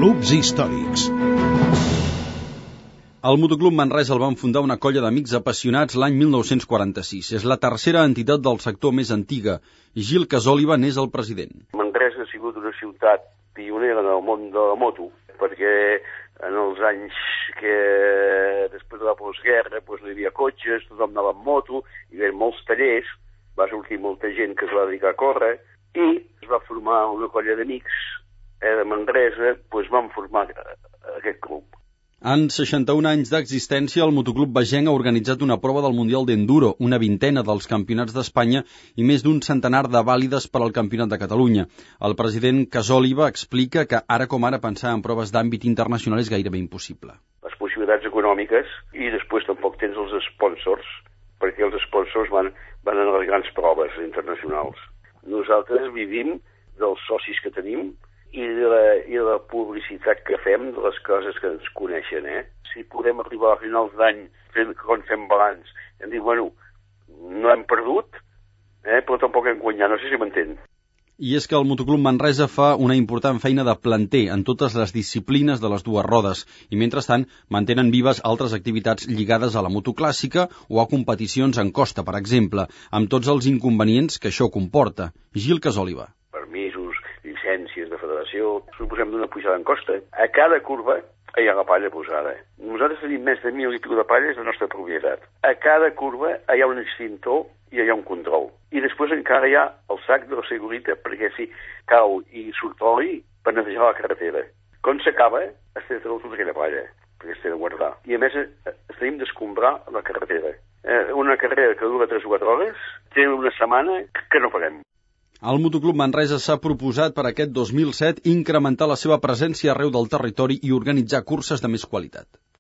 Clubs històrics. El Motoclub Manresa el van fundar una colla d'amics apassionats l'any 1946. És la tercera entitat del sector més antiga. Gil Casòliba n'és el president. Manresa ha sigut una ciutat pionera en el món de la moto, perquè en els anys que després de la postguerra no hi havia cotxes, tothom anava amb moto, hi havia molts tallers, va sortir molta gent que es va dedicar a córrer, i es va formar una colla d'amics de Manresa, van formar aquest club. En 61 anys d'existència, el Motoclub Bagenc ha organitzat una prova del Mundial d'Enduro, una vintena dels campionats d'Espanya i més d'un centenar de vàlides per al Campionat de Catalunya. El president Casòliba explica que ara com ara pensar en proves d'àmbit internacional és gairebé impossible. Les possibilitats econòmiques i després tampoc tens els sponsors, perquè els sponsors van a les grans proves internacionals. Nosaltres vivim dels socis que tenim i de la publicitat que fem de les coses que ens coneixen, Si podem arribar a finals d'any quan fem balanç, hem dit, no hem perdut, però tampoc hem guanyat, no sé si m'entén. I és que el Motoclub Manresa fa una important feina de planter en totes les disciplines de les dues rodes i, mentrestant, mantenen vives altres activitats lligades a la moto clàssica o a competicions en costa, per exemple, amb tots els inconvenients que això comporta. Gil Casòliba. Permisos, llicències de federació, suposem d'una pujada en costa. A cada curva hi ha la palla posada. Nosaltres tenim més de 1.000 i pico de palles de la nostra propietat. A cada curva hi ha un extintor i hi ha un control. I després encara hi ha el sac de la segurita, perquè si cau i surt oli, per netejar la carretera. Quan s'acaba, es té tota aquella palla, perquè es té de guardar. I a més, es tenim d'escombrar la carretera. Una carrera que dura 3 o 4 hores, té una setmana que no paguem. El Motoclub Manresa s'ha proposat per aquest 2007 incrementar la seva presència arreu del territori i organitzar curses de més qualitat.